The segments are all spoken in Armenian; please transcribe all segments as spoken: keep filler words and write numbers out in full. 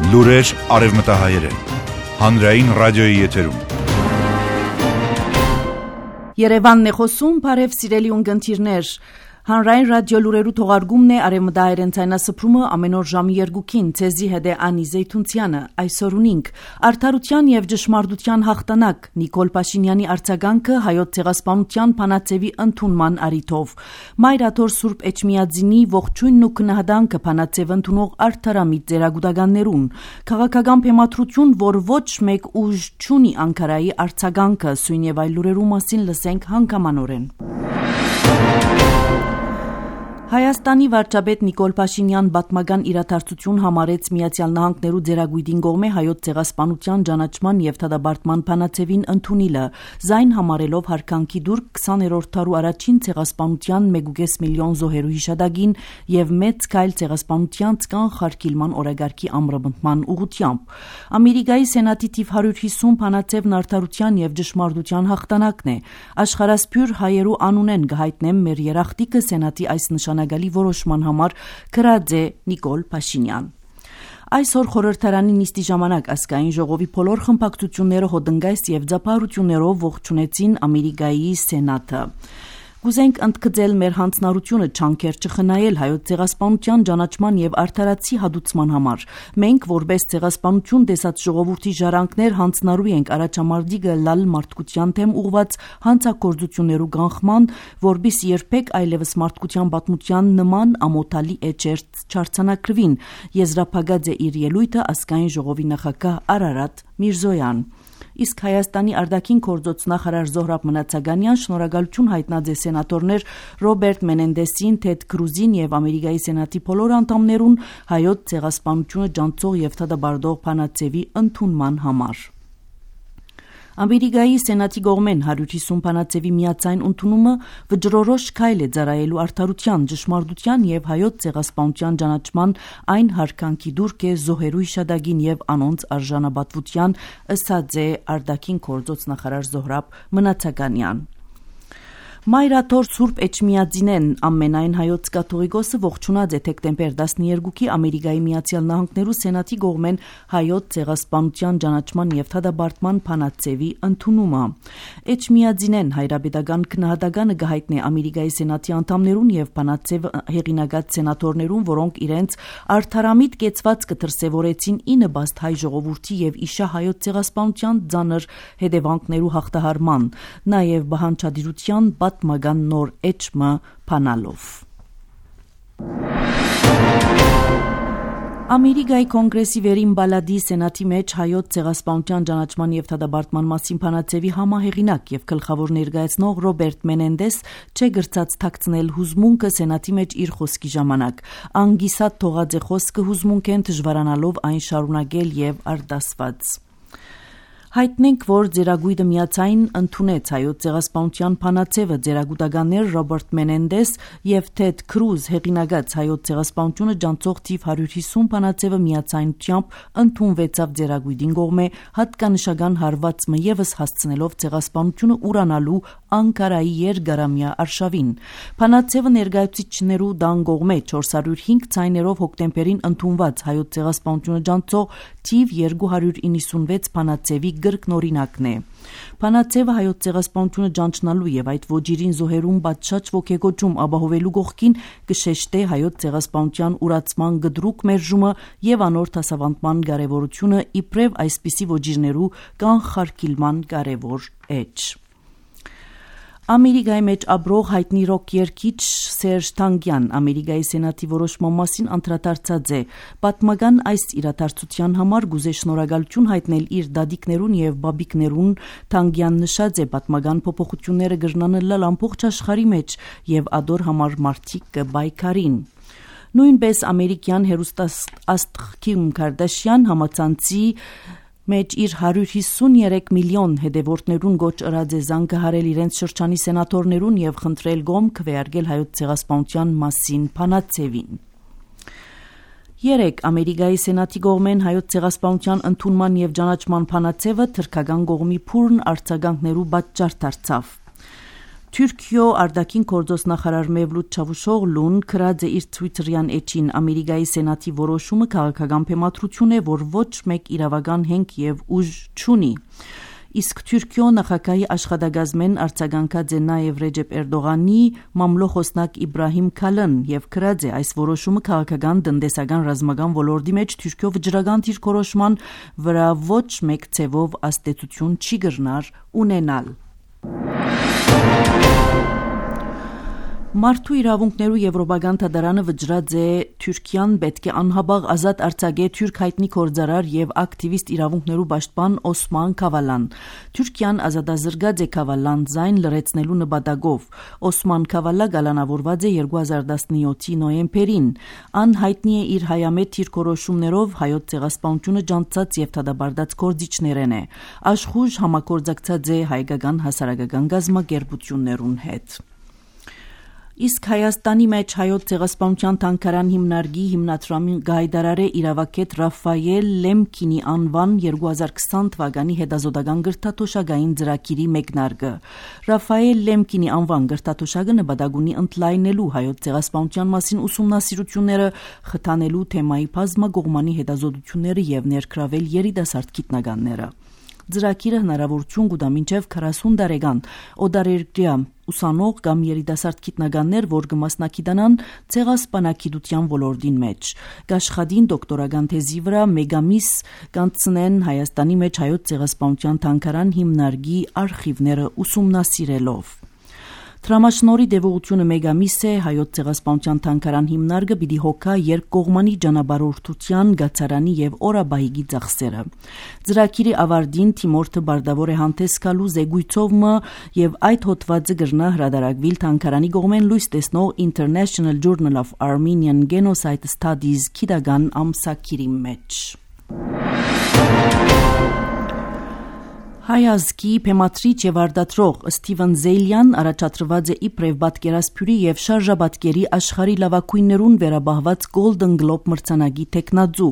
Լուրեր արևմտահայերեն։ Հանրային ռադիոյի եթերում։ Երևանն է խոսում, բարև սիրելի ունկնդիրներ։ Հանրային ռադիո լուրերու թողարկումն է արևմտահայերեն ցայնասփռումը ամեն օր ժամի երկուքին ցեզի հետ է Անի Զեյթունցյանը այսօր ունինք արդարության եւ ճշմարտության հաղթանակ Նիկոլ Փաշինյանի արձագանքը հայոց ցեղասպանության փանացեվի ընդունման առիթով Մայրաթոր Սուրբ Էջմիածինի ողջույնն ու քննադանքը փանացեվ ընդունող արդարամիտ ձերագուտականներուն քաղաքական փեմատրություն, որ ոչ մեկ ուժ չունի Անկարայի արձագանքը սույն եւ այլ լուրերու մասին լսենք հանգամանորեն։ Հայաստանի վարչապետ Նիկոլ Փաշինյան պատմական իրադարձություն համարեց Միացյալ Նահանգներու ձեռագույտին կողմէ հայոց ցեղասպանության ճանաչման եւ դադարեցման փանացեվին ընդունիլը զայն համարելով հարկանքի դուր քսաներորդ դարու առաջին ցեղասպանության մեկ կես միլիոն զոհերու հիշադակին եւ մեծ քայլ ցեղասպանության կանխարգելման օրագարկի ամրապնդման ուղղությամբ։ Ամերիկայի Սենատի թիվ հարյուր հիսուն փանացեվն արդարության եւ ճշմարտության հաղթանակն է։ Աշխարհասփյուր հայերու անունեն գահիտնեմ մեր երախտիկը Սենատի այս նշանագալի որոշման համար գրած է Նիկոլ Փաշինյան։ Այսօր խորհրդարանի նիստի ժամանակ ազգային ժողովի բոլոր խմբակցությունները հոդնգայս եւ ձապահարություններով ողջունեցին Ամերիկայի Սենատը։ Կուզենք ընդգծել մեր հանձնարարությունը չանքեր չխնայել հայոց ցեղասպանության ճանաչման եւ արդարացի հադուցման համար։ Մենք որպես ցեղասպանություն տեսած ժողովրդի ժառանգներ հանձնարարու ենք առաջամարտիկը լալ մարդկության թեմ ուղված հանցագործություններու կանխման, որբիս երբեք այլևս մարդկության պատմության նման ամոթալի էջեր չարցանակրվին, եզրափակած է իր ելույթը ազգային ժողովի նախագահ Արարատ Միրզոյան։ Իսկ Հայաստանի արտաքին գործոց նախարար Զոհրաբ Մնացականյան շնորհակալություն հայտնած է սենատորներ Ռոբերտ Մենենդեսին, Թեդ Քրուզին եւ Ամերիկայի Սենատի բոլոր անդամներուն հայոց ցեղասպանությունը ջանցող եւ դադարեցող փանացեվի ընդունման համար։ Ամերիկայի Սենատի կողմեն հարյուր հիսուն փանացեվի միացայն ընդունումը վճռորոշ քայլ է ծառայելու արդարության, ճշմարտության եւ հայոց ցեղասպանության ճանաչման այն հարկանքի դուրք է զոհերու հիշադակին եւ անոնց արժանապատվության, ըսած է արտաքին գործոց նախարար Զոհրաբ Մնացականյան։ Մայրաթոր Սուրբ Էջմիածինեն ամենայն հայոց կաթողիկոսը ողջունած է դեկտեմբեր տասներկուի Ամերիկայի Միացյալ Նահանգներու Սենատի կողմեն հայոց ցեղասպանության ճանաչման եւ դադարեցման փանացեվի ընդունումը։ Էջմիածինեն հայրապետական քննադատականը գահիտնի Ամերիկայի Սենատի անդամներուն եւ փանացեվ հեղինակած սենատորներուն, որոնք իրենց արդարամիտ կեցված կդրսեւորեցին ի նպաստ հայ ժողովրդի եւ իշա հայոց ցեղասպանության ծանր հետևանքներու հաղթահարման, նաեւ բանջարդիրության պատմական նոր էջմը փանալով։ Ամերիկայի կոնգրեսի վերին բալադի Սենատի մեջ հայոց ցեղասպանության ճանաչման եւ դադարեցման մասին փանացեվի համահեղինակ եւ գլխավոր ներկայացնող Ռոբերտ Մենենդես չէ գրծած թաքցնել հուզմունքը Սենատի մեջ իր խոսքի ժամանակ։ Անգիսատ թողած է խոսքը հուզմունքեն դժվարանալով այն շարունակել եւ արտասված։ Հայտնենք, որ ձերագույտը միացայն ընդունեց հայոց ցեղասպանության փանացեվը ձերագուտականներ Ռոբերտ Մենենդես եւ Թեդ Քրուզ հեղինակած հայոց ցեղասպանությունը ջանցող թիվ հարյուր հիսուն փանացեվը միացայնությամբ ընդունվեցավ ձերագույտին կողմէ հատկանշական հարվածը եւս հասցնելով ցեղասպանությունը ուրանալու Անկարայի երկարամյա արշավին։ Փանացեվը ներկայացուցիչներու դան կողմէ չորս հարյուր հինգ ցայներով հոկտեմբերին ընդունված հայոց ցեղասպանությունը ջանցող թիվ երկու հարյուր իննսունվեց փանացեվի գրկնօրինակն է։ Փանացեվը հայոց ցեղասպանությունը ջանչնալու եւ այդ ոճիրին զոհերուն պատշաճ ոգեգոճում ապահովելու կողքին կշեշտե հայոց ցեղասպանության ուրացման գդրուկ մերժումը եւ անոր դասավանդման կարեւորությունը իբրև այսպիսի ոճիրներու կանխարգելման կարեւոր էջ։ Ամերիկայի մեջ ապրող հայտնի ռոք երգիչ Սերժ Թանգյան Ամերիկայի Սենատի որոշման մասին անդրադարձած է։ Պատմական այս իրադարձության համար գուզե շնորհակալություն հայտնել իր դադիկներուն եւ բաբիկներուն։ Թանգյան նշած է պատմական փոփոխությունները գրնանելալ ամբողջ աշխարհի մեջ եւ ադոր համար մարդիկ կբայքարին։ Նույնպես ամերիկյան հերոստաստղ Քիմ Քարդաշյան համացանցի մեջ իր հարյուր հիսուներեք միլիոն հետևորդներուն գոչ ըրած է զանգահարել իրենց շրջանի սենատորներուն եւ խնդրել գոմ քվեարկել հայոց ցեղասպանության մասին փանացեվին։ Երեք Ամերիկայի Սենատի կողմեն հայոց ցեղասպանության ընդունման եւ ճանաչման փանացեվը թրքական կողմի փուրն արձագանքներու պատճառ դարձավ։ Թուրքիո արտաքին գործոս նախարար Մևլութ Չավուշօղլուն գրած է իր Twitter-յան էջին Ամերիկայի Սենատի որոշումը քաղաքական փեմատրություն է, որ ոչ մեկ իրավական հենք եւ ուժ չունի։ Իսկ Թուրքիո նախագահի աշխատակազմեն արձագանքած է նաև Ռեջեփ Էրդողանի մամլոխոսնակ Իբրահիմ Քալն եւ գրած է այս որոշումը քաղաքական տնտեսական ռազմական ոլորտի մեջ Թուրքիո վճռական դիրքորոշման վրա ոչ մեկ ցևով աստեցություն չի գրնար ունենալ։ Մարդու իրավունքներու Եվրոպական դատարանը վճռած է Թուրքիան պետք է անհաբաղ ազատ արձակե թուրք հայտնի գործարար եւ ակտիվիստ իրավունքներու պաշտպան Օսման Քավալան։ Թուրքիան ազատազրկած է Քավալան զայն լրացնելու նպատակով։ Օսման Քավալա գալանավորված է երկու հազար տասնյոթի նոյեմբերին։ Ան հայտնի է իր հայամետ դիրքորոշումներով հայոց ցեղասպանությունը ջանցած եւ դադարդած գործիչներեն է։ Աշխուժ համագործակցած է հայկական հասարակական գազམ་ակերպություններուն հետ։ Իսկ Հայաստանի մեջ հայոց ցեղասպանության թանգարան հիմնարկի հիմնադրամի գայդարարե իրավագետ Ռաֆայել Լեմկինի անվան երկու հազար քսան թվականի հետազոտական գրթաթոշակային ծրագիրի մեկնարկը։ Ռաֆայել Լեմկինի անվան գրթաթոշակը նպատակ ունի ընդլայնելու հայոց ցեղասպանության մասին ուսումնասիրությունները, խթանելու թեմայի բազմակողմանի հետազոտությունները եւ ներգրավել երիտասարդ գիտնականները։ Ծրագիրը հնարավորություն կտա մինչև քառասուն տարեկան օտարերկրյա ուսանող կամ երիտասարդ գիտնականներ, որ կմասնակցանան ցեղասպանագիտության ոլորտին մեջ։ Գաշխատին դոկտորական թեզի վրա մեգամիս կանցնեն Հայաստանի մեջ հայոց ցեղասպանության թանգարան հիմնարկի արխիվները ուսումնասիրելով։ Տրամաշնորի դեպողությունը մեգամիս է հայոց ցեղասպանության թանգարան հիմնարկը պիտի հոգա երկկողմանի ճանապարհորդության, գացարանի եւ օրաբահիգի ծախսերը։ Ծրագիրի ավարտին Թիմորթը բարդավոր է հանդես գալու զեկույցով եւ այդ հոդվածը գրնա հրադարակվիլ թանգարանի կողմեն լույս տեսնող International Journal of Armenian Genocide Studies քիդական ամսագիրի մեջ։ Հայ ազգի փեմատրիչ եւ արտադրող Ստիվեն Զեյլյան առաջադրված է իբրև պատկերասփյուրի եւ շարժաբատկերի աշխարհի լավագույններուն վերաբահված Golden Globe մրցանակի տեխնաձու։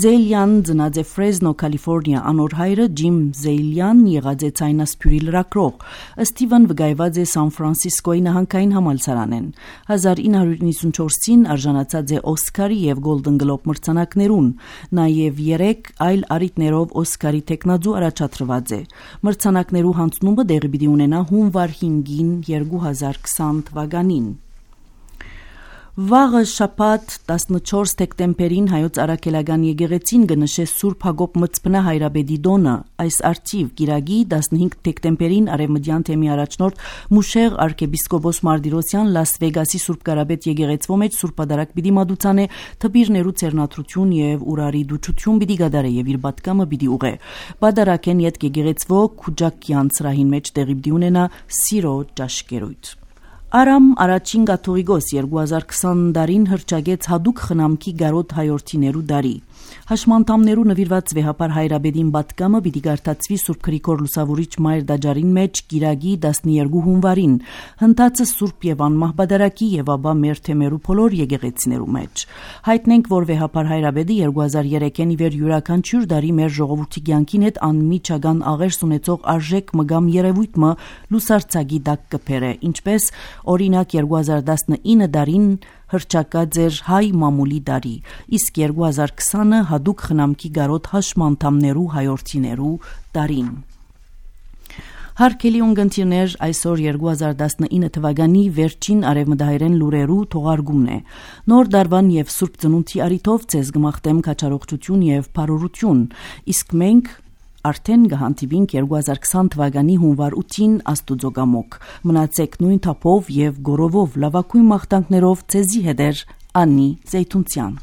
Զեյլյան ծնած է Ֆրեզնո, Կալիֆոռնիա, անոր հայրը Ջիմ Զեյլյան եղած է ցայնասփյուրի լրագրող։ Ստիվեն վկայված է Սան Ֆրանցիսկոյի նահանգային համալսարանեն։ հազար ինը հարյուր նվաթ չորսին արժանացած է Օսկարի եւ Golden Globe մրցանակներուն, նաեւ երեք այլ առիթներով Օսկարի տեխնաձու առաջադրված Մրցանակներու հանձնումը դեղի պիտի ունենա հունվար հինգին երկու հազար քսան թվականին։ Վաղը շաբաթ տասնչորս դեկտեմբերին հայոց արաքելական եկեղեցին կնշե Սուրբ Հակոբ Մծբնա հայրաբեդի դոնը։ Այս արծիվ գիրագի տասնհինգ դեկտեմբերին արևմտյան թեմի առաջնորդ Մուշեղ arczepiskopos Mardիրոսյան Լաս Վեգասի Սուրբ Կարապետ եկեղեցվո մեջ Սուրբ Պատարագ պիտի մատուցանե թբիրներու ցերնադրություն եւ ուրարի դուչություն պիտի գդարե եւ իր պատկամը պիտի ուղե։ Պատարագեն յետ եկեղեցվո Քուջակյան սրահին մեջ տեղի պիտի ունենա սիրո ճաշկերույթ։ Արամ առաջին կաթողիկոս երկու հազար քսան տարին հրճագեց հadouk խնամքի գարոտ հայորդիներու դարի։ Հաշմանդամներու նվիրված վեհապար հայրաբեդին պատկամը պիտի գարտացվի Սուրբ Գրիգոր Լուսավորիչ մայր դաջարին մեջ գիրագի տասներկու հունվարին, հնդածը Սուրբ եւ անմահ բադարակի եւ ապա մեր թեմերու բոլոր եկեղեցիներու մեջ։ Հայտնենք, որ վեհապար հայրաբեդը երկու հազար երեքին ի վեր յուրաքանչյուր դարի մեր ժողովրդի կյանքին հետ անմիջական աղերս ունեցող արժեք մգամ երևույթը լուսարցագի դակ կփերը, ինչպես օրինակ երկու հազար տասնինը դարին հրճակած էր հայ մամուլի դարի, իսկ երկու հազար քսանը հadouk խնամքի գարոտ հաշմանդամներու հայորդիներու դարին։ Հարկելի ունգընտիրներ, այսօր երկու հազար տասնինը թվականի վերջին արևմտահայերեն լուրերու թողարկումն է։ Նոր դարվան եւ Սուրբ Ծնունդի առիթով ցեզ գմախտեմ քաջարողջություն եւ բարօրություն, իսկ մենք արդեն կհանդիպինք երկու հազար քսան թվականի հունվար ութին Աստուծո կամոք։ Մնացեք նույն թափով եւ գորովով լավագույն մաղթանքներով ցեզի հետեր Անի Զեյթունցյան։